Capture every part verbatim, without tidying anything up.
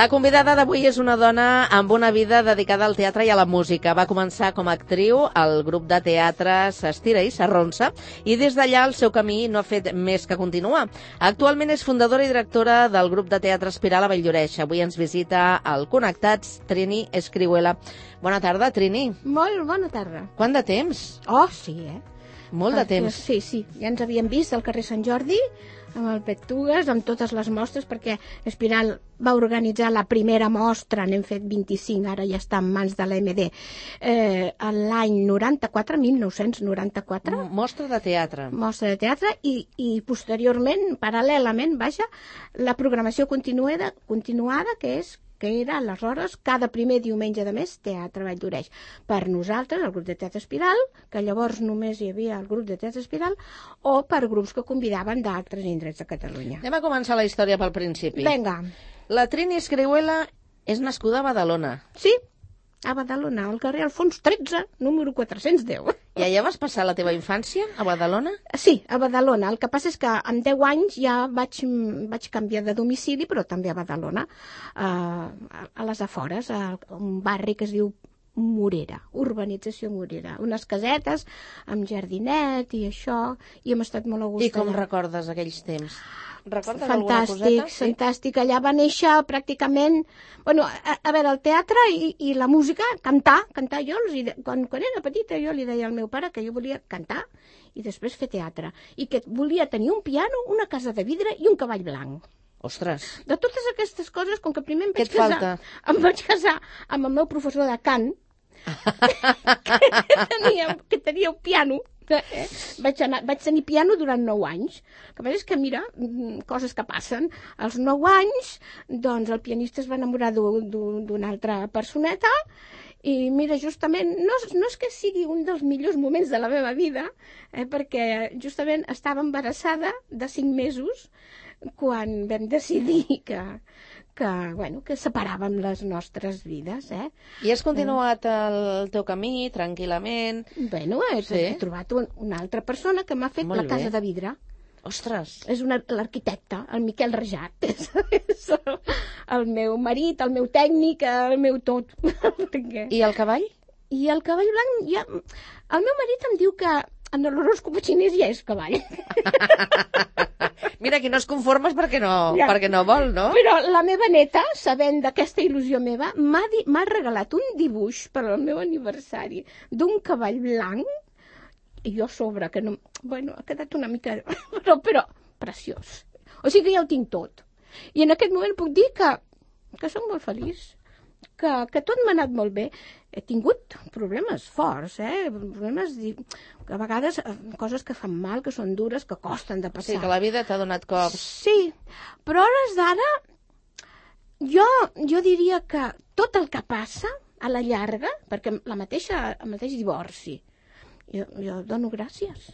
La convidada d'avui és una dona amb una vida dedicada al teatre i a la música. Va començar com a actriu al grup de teatre S'Estira i s'Arronsa i des d'allà el seu camí no ha fet més que continuar. Actualment és fundadora i directora del grup de teatre Espiral a Valldoreix. Avui ens visita al Connectats Trini Escrihuela. Bona tarda, Trini. Molt bona tarda. Quant de temps? Oh, sí, eh? Molt de temps. Sí, sí. Ja ens havíem vist al carrer Sant Jordi, amb el Pettugues, amb totes les mostres, perquè Espiral va organitzar la primera mostra, n'hem fet vint-i-cinc, ara ja està en mans de l'A M D, eh, l'any noranta-quatre, mil nou-cents noranta-quatre. Mostra de teatre. Mostra de teatre, i, i posteriorment, paral·lelament, vaja, la programació continuada, continuada que és que era aleshores cada primer diumenge de mes Teatre Valldoreix. Per nosaltres, el grup de teatre Espiral, que llavors només hi havia el grup de teatre Espiral, o per grups que convidaven d'altres indrets de Catalunya. Anem a començar la història pel principi. Vinga. La Trini Escrihuela és nascuda a Badalona. Sí, a Badalona, al carrer Alfons tretze, número quatre-cents deu. I allà vas passar la teva infància, a Badalona? Sí, a Badalona. El que passa és que amb deu anys ja vaig, vaig canviar de domicili, però també a Badalona, a, a les afores, a un barri que es diu Morera, urbanització Morera. Unes casetes amb jardinet i això, i hem estat molt a gust. I com allà. recordes aquells temps? Recordes fantàstic, alguna coseta? fantàstic. Allà va néixer pràcticament... Bueno, a, a veure, el teatre i, i la música, cantar, cantar jo. Els, de, quan, quan era petita jo li deia al meu pare que jo volia cantar i després fer teatre. I que volia tenir un piano, una casa de vidre i un cavall blanc. Ostres! De totes aquestes coses, com que primer em Què vaig et casar... falta? Em vaig casar amb el meu professor de cant, que, tenia, que tenia un piano. Eh? Vaig, anar, vaig tenir piano durant nou anys. El que passa és que, mira, coses que passen. Als nou anys, doncs, el pianista es va enamorar d'una altra personeta i, mira, justament, no, no és que sigui un dels millors moments de la meva vida, eh, perquè justament estava embarassada de cinc mesos quan vam decidir que... que, bueno, que separàvem les nostres vides, eh? I has continuat el teu camí tranquil·lament? Bueno, he, Sí. he trobat un, una altra persona que m'ha fet Molt la casa bé. de vidre. Ostres! És una- l'arquitecte, el Miquel Rajat. És, és el, el meu marit, el meu tècnic, el meu tot. Perquè... I el cavall? I el cavall blanc, ja... El meu marit em diu que en l'horòscop xinès ja és cavall. Mira, aquí no es conformes perquè no, Ja. perquè no vol, no? Però la meva neta, sabent d'aquesta il·lusió meva, m'ha di- m'ha regalat un dibuix per al meu aniversari d'un cavall blanc i jo a sobre, que no... Bueno, ha quedat una mica... Però, però, preciós. O sigui que ja ho tinc tot. I en aquest moment puc dir que, que soc molt feliç, que, que tot m'ha anat molt bé. He tingut problemes forts, eh? Problemes, di- a vegades, eh, coses que fan mal, que són dures, que costen de passar. Sí, que la vida t'ha donat cops. Sí, però a hores d'ara jo, jo diria que tot el que passa a la llarga, perquè la mateixa, el mateix divorci, jo, jo dono gràcies.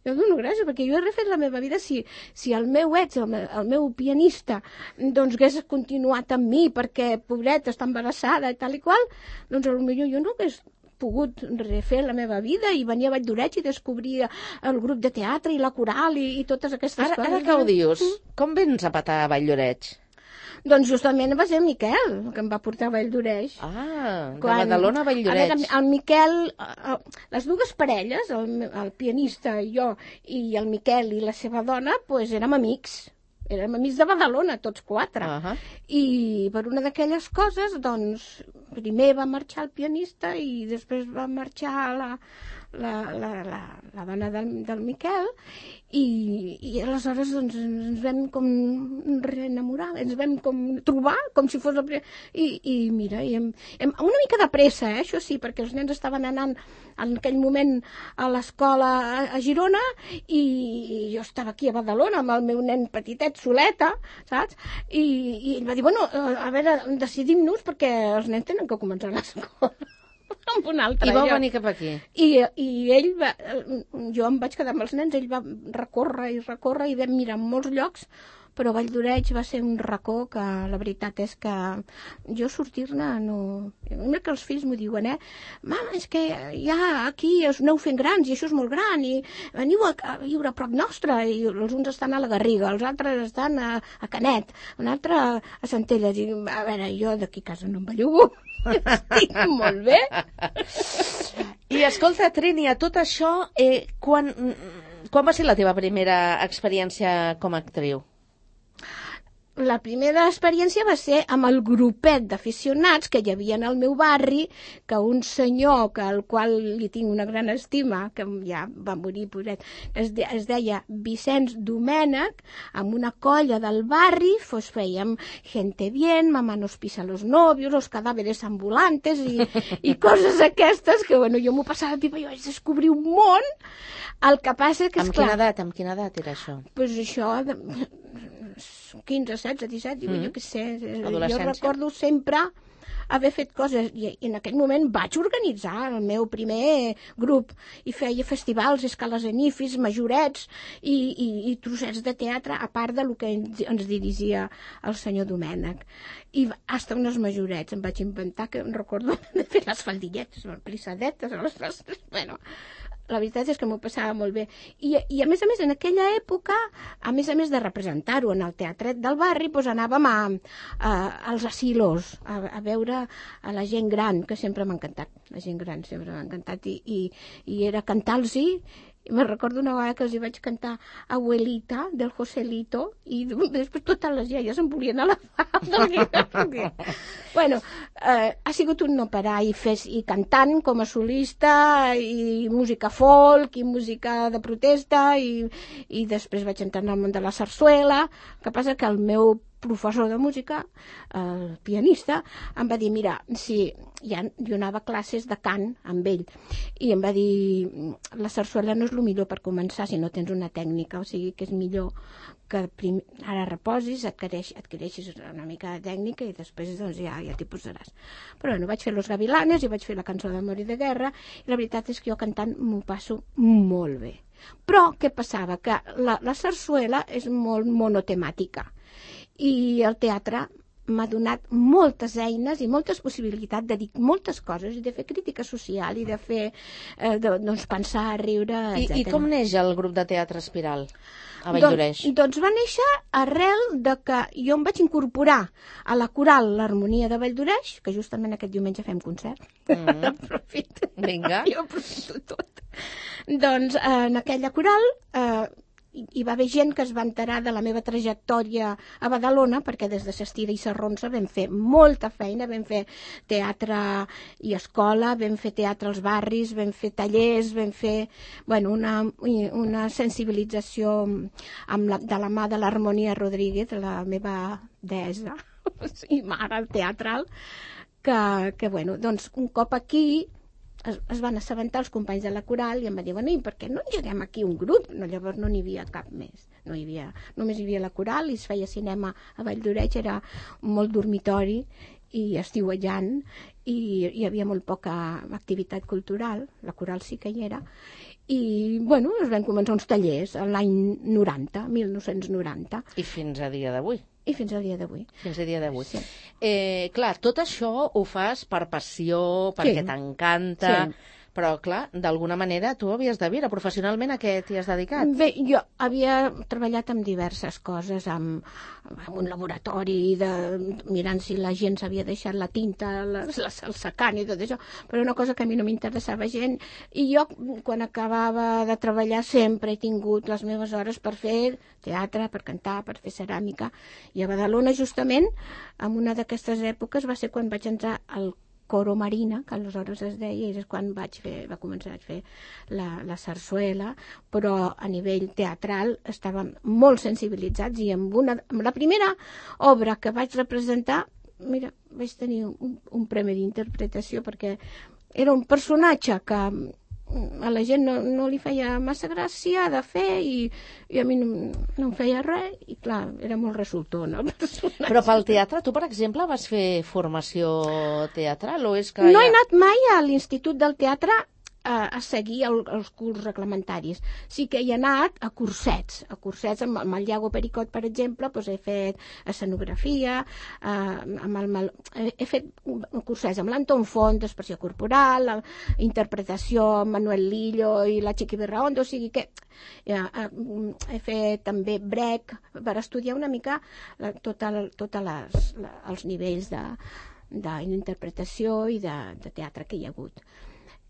Jo dono gràcies, perquè jo he refet la meva vida. Si, si el meu ex, el, me- el meu pianista, doncs hagués continuat amb mi perquè, pobreta, està embarassada i tal i qual, doncs potser jo no hagués pogut refer la meva vida i venir a Valldoreix i descobrir el grup de teatre i la coral i, i totes aquestes Ara, coses. ara que ho dius, com vens a petar a Valldoreix? Doncs justament va ser el Miquel que em va portar a Valldoreix. Ah, de Badalona a Valldoreix. A veure, el Miquel, eh, les dues parelles, el, me- el pianista i jo, i el Miquel i la seva dona, pues, érem amics. Érem amics de Badalona, tots quatre. Ahà. I per una d'aquelles coses, doncs, primer va marxar el pianista i després va marxar la, la, la, la, la dona del, del Miquel i, i aleshores doncs, ens vam com reenamorar, ens vam com trobar com si fos la primera... I, i mira, i hem, hem, una mica de pressa, eh, això sí, perquè els nens estaven anant en aquell moment a l'escola a, a Girona i, i jo estava aquí a Badalona amb el meu nen petitet, soleta, saps? I, i ell va dir, bueno, a veure, decidim-nos perquè els nens tenen que començar l'escola. Amb un altre. I vau jo. venir cap aquí. I, I ell va... Jo em vaig quedar amb els nens, ell va recórrer i recórrer i vam mirar en molts llocs, però Valldoreix va ser un racó que la veritat és que jo sortir-ne no... Mira que els fills m'ho diuen, eh? Mama, és que ja aquí us aneu fent grans i això és molt gran i veniu a, a viure a prop nostre i els uns estan a la Garriga, els altres estan a, a Canet, un altre a Centelles i a veure, jo d'aquí a casa no em bellugo. Estic molt bé. I escolta, Trini, a tot això, eh, quan, quan va ser la teva primera experiència com a actriu? La primera experiència va ser amb el grupet d'aficionats que hi havia en el meu barri, que un senyor, que al qual li tinc una gran estima, que ja va morir, pobret, es, de, es deia Vicenç Domènech, amb una colla del barri, pues fèiem gente bien, mamá nos pisa los novios, los cadáveres ambulantes i, i coses aquestes, que bueno, jo m'ho passava pipa, jo vaig descobrir un món. El que passa que, Amb esclar, quina edat, amb quina edat era això? Pues això, de, quinze, setze, disset, mm. jo què sé. Jo recordo sempre haver fet coses i en aquell moment vaig organitzar el meu primer grup i feia festivals, escales en ifis, majorets i, i, i trossets de teatre, a part del que ens dirigia el senyor Domènech. I hasta unes majorets em vaig inventar, que em recordo de fer les faldilletes, les plissadetes, les, les, bueno... La veritat és que m'ho passava molt bé. I, I a més a més, en aquella època, a més a més de representar-ho en el teatret del barri, doncs anàvem a, a, als asilos, a, a veure a la gent gran, que sempre m'ha encantat. La gent gran sempre m'ha encantat. I, i, i era cantar-los-hi. I me'n recordo una vegada que els hi vaig cantar Abuelita, del Joselito, i després totes les iaies em volien agafar. Bueno, eh, ha sigut un no parar, i, fes, i cantant com a solista, i música folk, i música de protesta, i, i després vaig entrar en el món de la sarsuela. El que passa que el meu professor de música, el pianista, em va dir, mira, si ja, jo anava a classes de cant amb ell, i em va dir, la sarsuela no és el millor per començar si no tens una tècnica, o sigui que és millor que prim... ara reposis, adquireix, adquireixis una mica de tècnica i després doncs, ja, ja t'hi posaràs. Però bueno, vaig fer Los Gavilanes i vaig fer la cançó d'amor i de guerra, i la veritat és que jo cantant m'ho passo molt bé. Però què passava? Que la, la sarsuela és molt monotemàtica, i el teatre m'ha donat moltes eines i moltes possibilitats de dir moltes coses i de fer crítica social i de fer, eh, de, doncs, pensar, riure, etcètera. I, I com neix el grup de teatre Espiral a Valldoreix? Doncs, doncs va néixer arrel de que jo em vaig incorporar a la coral l'Harmonia de Valldoreix, que justament aquest diumenge fem concert. Mm. Aprofito. Vinga. Jo aprofito tot. Doncs en aquella coral... Eh, hi va haver gent que es va enterar de la meva trajectòria a Badalona, perquè des de Sestira i Sarronsa vam fer molta feina, vam fer teatre i escola, vam fer teatre als barris, vam fer tallers, vam fer bueno, una, una sensibilització amb la, de la mà de l'Harmonia Rodríguez, la meva deessa i mare teatral, que, que bueno, doncs un cop aquí Es, es van assabentar els companys de la coral i em van dir, bueno, i per què no engeguem aquí un grup? No, llavors no n'hi havia cap més. No hi havia, només hi havia la coral i es feia cinema a Valldoreix, era molt dormitori i estiuejant i hi havia molt poca activitat cultural, la coral sí que hi era, i bueno, es van començar uns tallers l'any noranta, mil nou-cents noranta. I fins a dia d'avui. I fins al dia d'avui. Fins al dia d'avui. Sí. Eh, clar, tot això ho fas per passió, perquè sí. t'encanta, sí. Però, clar, d'alguna manera tu havies de viure. Professionalment a què t'hi has dedicat? Bé, jo havia treballat amb diverses coses, amb, amb un laboratori, de, mirant si la gent s'havia deixat la tinta, les, les, el secant i tot això, però una cosa que a mi no m'interessava gent. I jo, quan acabava de treballar, sempre he tingut les meves hores per fer teatre, per cantar, per fer ceràmica. I a Badalona, justament, en una d'aquestes èpoques, va ser quan vaig entrar al Coro Marina, que aleshores es deia, i és quan vaig fer, va començar a fer la, la sarsuela, però a nivell teatral estàvem molt sensibilitzats i amb, una, amb la primera obra que vaig representar, mira, vaig tenir un, un premi d'interpretació perquè era un personatge que a la gent no, no li feia massa gràcia de fer i, i a mi no, no em feia res i clar, era molt resultor, no? Però pel teatre, tu per exemple vas fer formació teatral o és que... No ja... he anat mai a l'Institut del Teatre a, a seguir el, els curs reglamentaris. Sí que he anat a cursets, a cursets amb, amb el Iago Pericot, per exemple, doncs he fet escenografia, eh, amb el, he, he fet cursets amb l'Anton Font, d'expressió corporal, la interpretació amb Manuel Lillo i la Chiqui Berraondo, o sigui que ja, he fet també brec per estudiar una mica la, tota, tota les, la, els nivells de, d'interpretació i de, de teatre que hi ha hagut.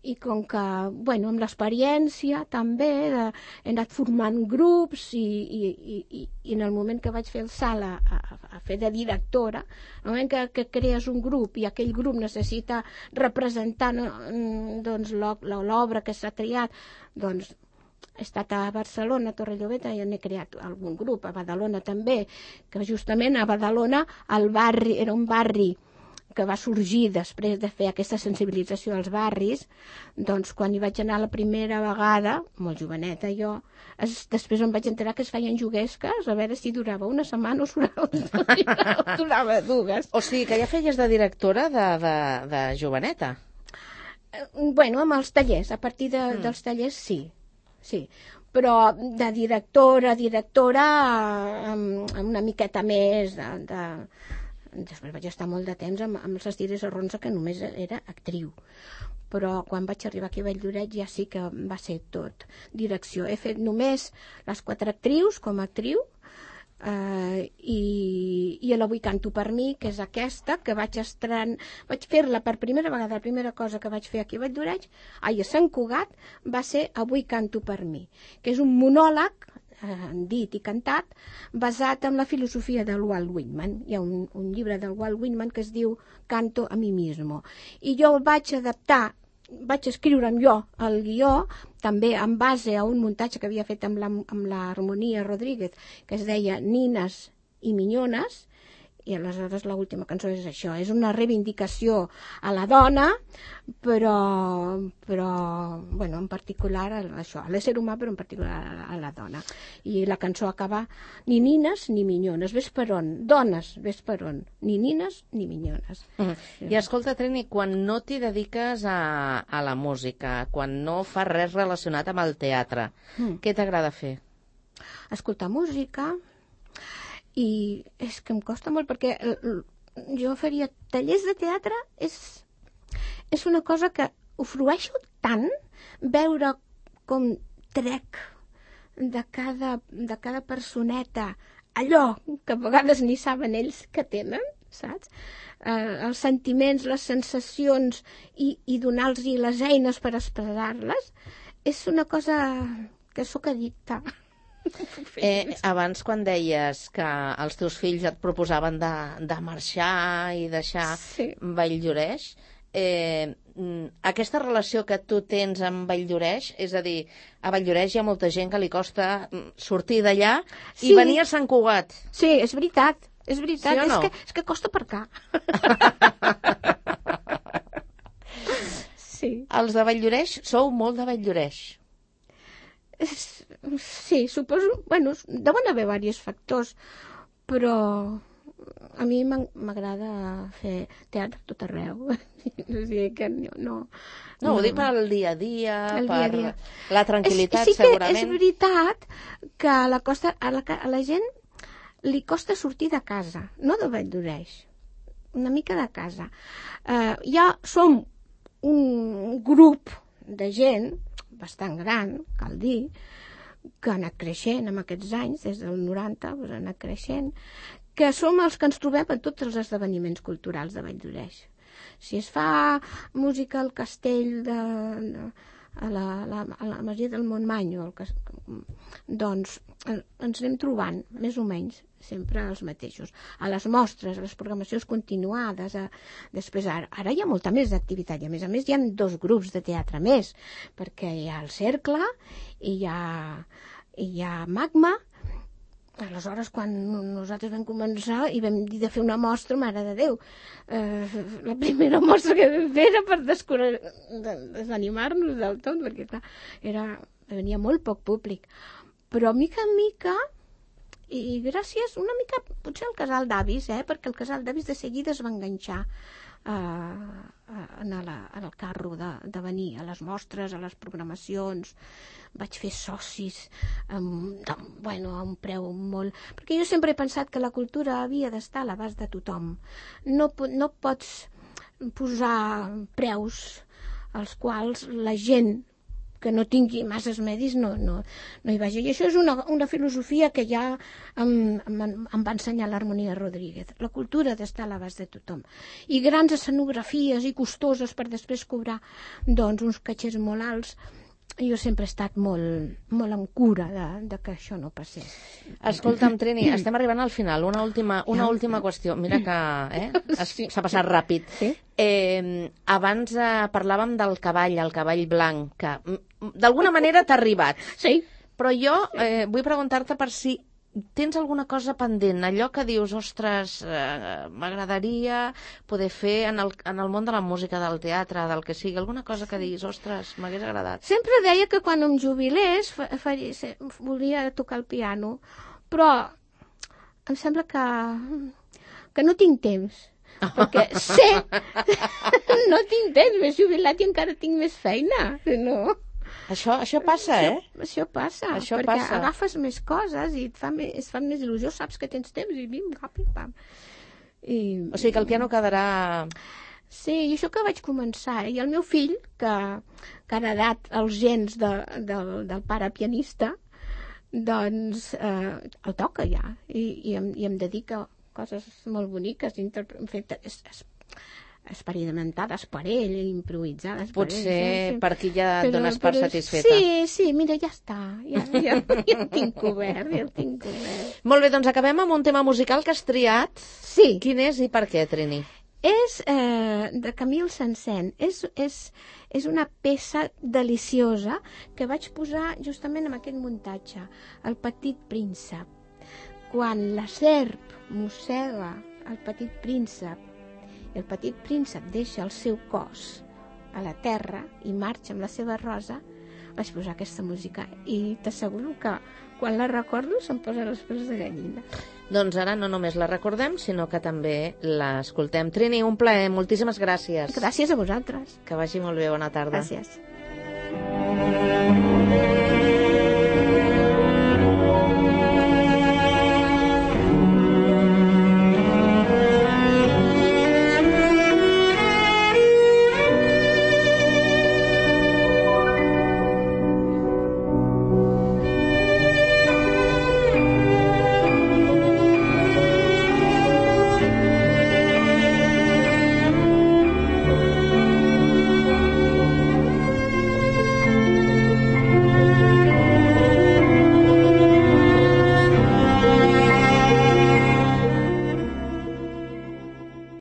I com que, bueno, amb l'experiència també de, he anat formant grups i, i, i, i en el moment que vaig fer el salt a, a, a fer de directora, en el moment que, que crees un grup i aquell grup necessita representar doncs, l'obra que s'ha triat, doncs he estat a Barcelona, a Torrelloveta, i n'he creat algun grup, a Badalona també, que justament a Badalona el barri, era un barri que va sorgir després de fer aquesta sensibilització als barris, doncs quan hi vaig anar la primera vegada, molt joveneta jo, es, després em vaig enterar que es feien juguesques, a veure si durava una setmana o durava, o durava dues. O sigui que ja feies de directora de, de, de joveneta? Bueno, amb els tallers, a partir de, mm. dels tallers sí, sí. Però de directora, directora, amb, amb una miqueta més de... de després vaig estar molt de temps amb, amb els Estires Arronsa, que només era actriu. Però quan vaig arribar aquí a Valldoreix ja sí que va ser tot direcció. He fet només les quatre actrius com a actriu eh, i, i a l'Avui canto per mi, que és aquesta, que vaig estren... vaig fer-la per primera vegada, la primera cosa que vaig fer aquí a Valldoreix, ai, a Sant Cugat, va ser Avui canto per mi, que és un monòleg dit i cantat, basat en la filosofia del Walt Whitman. Hi ha un, un llibre del Walt Whitman que es diu Canto a mi mismo. I jo el vaig adaptar, vaig escriure'm jo el guió, també en base a un muntatge que havia fet amb la, amb l'Harmonia Rodríguez, que es deia Nines i Minyones, i aleshores l'última cançó és això, és una reivindicació a la dona, però, però bueno, en particular a això, a l'ésser humà, però en particular a la dona. I la cançó acaba ni nines ni minyones, ves per on, dones, ves per on, ni nines ni minyones. Mm. Sí. I escolta, Trini, quan no t'hi dediques a, a la música, quan no fas res relacionat amb el teatre, mm. què t'agrada fer? Escoltar música. I és que em costa molt perquè jo faria tallers de teatre, és, és una cosa que ho frueixo tant, veure com trec de cada, de cada personeta allò que a vegades ni saben ells que tenen, saps? Eh, els sentiments, les sensacions i, i donar-los les eines per expressar-les, és una cosa que sóc addicta. Eh, abans quan deies que els teus fills et proposaven de, de marxar i deixar sí. Valldoreix, eh, aquesta relació que tu tens amb Valldoreix, és a dir, a Valldoreix hi ha molta gent que li costa sortir d'allà sí. I venir a Sant Cugat. Sí, és veritat, és veritat, sí o no? és, que, és que costa per cá. Sí. Els de Valldoreix sou molt de Valldoreix. Sí, suposo, bueno, deuen haver diversos factors, però a mi m'agrada fer teatre tot arreu. O sigui que no... No, no ho dic per al dia a dia, el per dia a dia. La tranquil·litat, és, sí segurament. Sí que és veritat que a la, costa, a, la, a la gent li costa sortir de casa, no de Valldoreix, una mica de casa. Uh, ja som un grup de gent bastant gran, cal dir, que ha anat creixent en aquests anys, des del noranta, doncs ha anat creixent, que som els que ens trobem en tots els esdeveniments culturals de Valldoreix. Si es fa música al castell de, de a la, la, a la Masia del Montmany, doncs ens anem trobant, més o menys, sempre els mateixos. A les mostres, a les programacions continuades, a... després ara, ara hi ha molta més activitat, i a més a més hi ha dos grups de teatre més, perquè hi ha el Cercle i hi ha, i hi ha Magma. Aleshores, quan nosaltres vam començar i vam dir de fer una mostra, mare de Déu, eh, la primera mostra que vam fer era per desanimar-nos del tot, perquè clar, era, venia molt poc públic. Però mica en mica, i gràcies una mica potser al casal d'avis, eh, perquè el casal d'avis de seguida es va enganxar a, a anar a la, al carro de, de venir a les mostres, a les programacions. Vaig fer socis amb, de, bueno, a un preu molt... Perquè jo sempre he pensat que la cultura havia d'estar a l'abast de tothom. No, no pots posar preus als quals la gent que no tingui masses medis no, no, no hi vagi. I això és una, una filosofia que ja em, em, em va ensenyar l'Harmonia Rodríguez. La cultura ha d'estar a l'abast de tothom. I grans escenografies i costoses per després cobrar doncs, uns catxers molt alts. Jo sempre he estat molt, molt en cura de, de que això no passés. Escolta'm, Trini, estem arribant al final. Una última, una última qüestió. Mira que eh, s'ha passat ràpid. Sí? Eh, abans eh, parlàvem del cavall, el cavall blanc, que d'alguna manera t'ha arribat. Sí. Però jo eh, vull preguntar-te per si tens alguna cosa pendent, allò que dius, ostres, eh, m'agradaria poder fer en el, en el món de la música, del teatre, del que sigui, alguna cosa que diguis, ostres, m'hagués agradat. Sempre deia que quan em jubilés fa, faria, volia tocar el piano, però em sembla que, que no tinc temps. Perquè sé, no tinc temps, m'he jubilat i encara tinc més feina, no? Això, això passa, això, eh? Això passa, això perquè passa. Agafes més coses i et fa més, es fan més il·lusió, saps que tens temps i bim, ràpid, pam. I... O sigui que el piano quedarà... Sí, i això que vaig començar, i el meu fill, que, que ha heredat els gens de, del, del pare pianista, doncs eh, el toca ja, i, i, em, i em dedica a coses molt boniques, interpre... en fet, és, és experimentades per ell, improvisades per Potser ell. Potser sí. per aquí ja et dones per satisfeta. Sí, sí, mira, ja està. Ja, ja, ja el tinc cobert, ja el tinc cobert. Molt bé, doncs acabem amb un tema musical que has triat. Sí. Quin és i per què, Trini? És eh, de Camille Saint-Saëns. És, és, és una peça deliciosa que vaig posar justament en aquest muntatge, El petit príncep. Quan la serp mossega el petit príncep, el petit príncep deixa el seu cos a la terra i marxa amb la seva rosa, vaig posar aquesta música i t'asseguro que quan la recordo se'm posen els pèls de gallina. Doncs ara no només la recordem, sinó que també l'escoltem. Trini, un plaer, moltíssimes gràcies. Gràcies a vosaltres. Que vagi molt bé, bona tarda. Gràcies.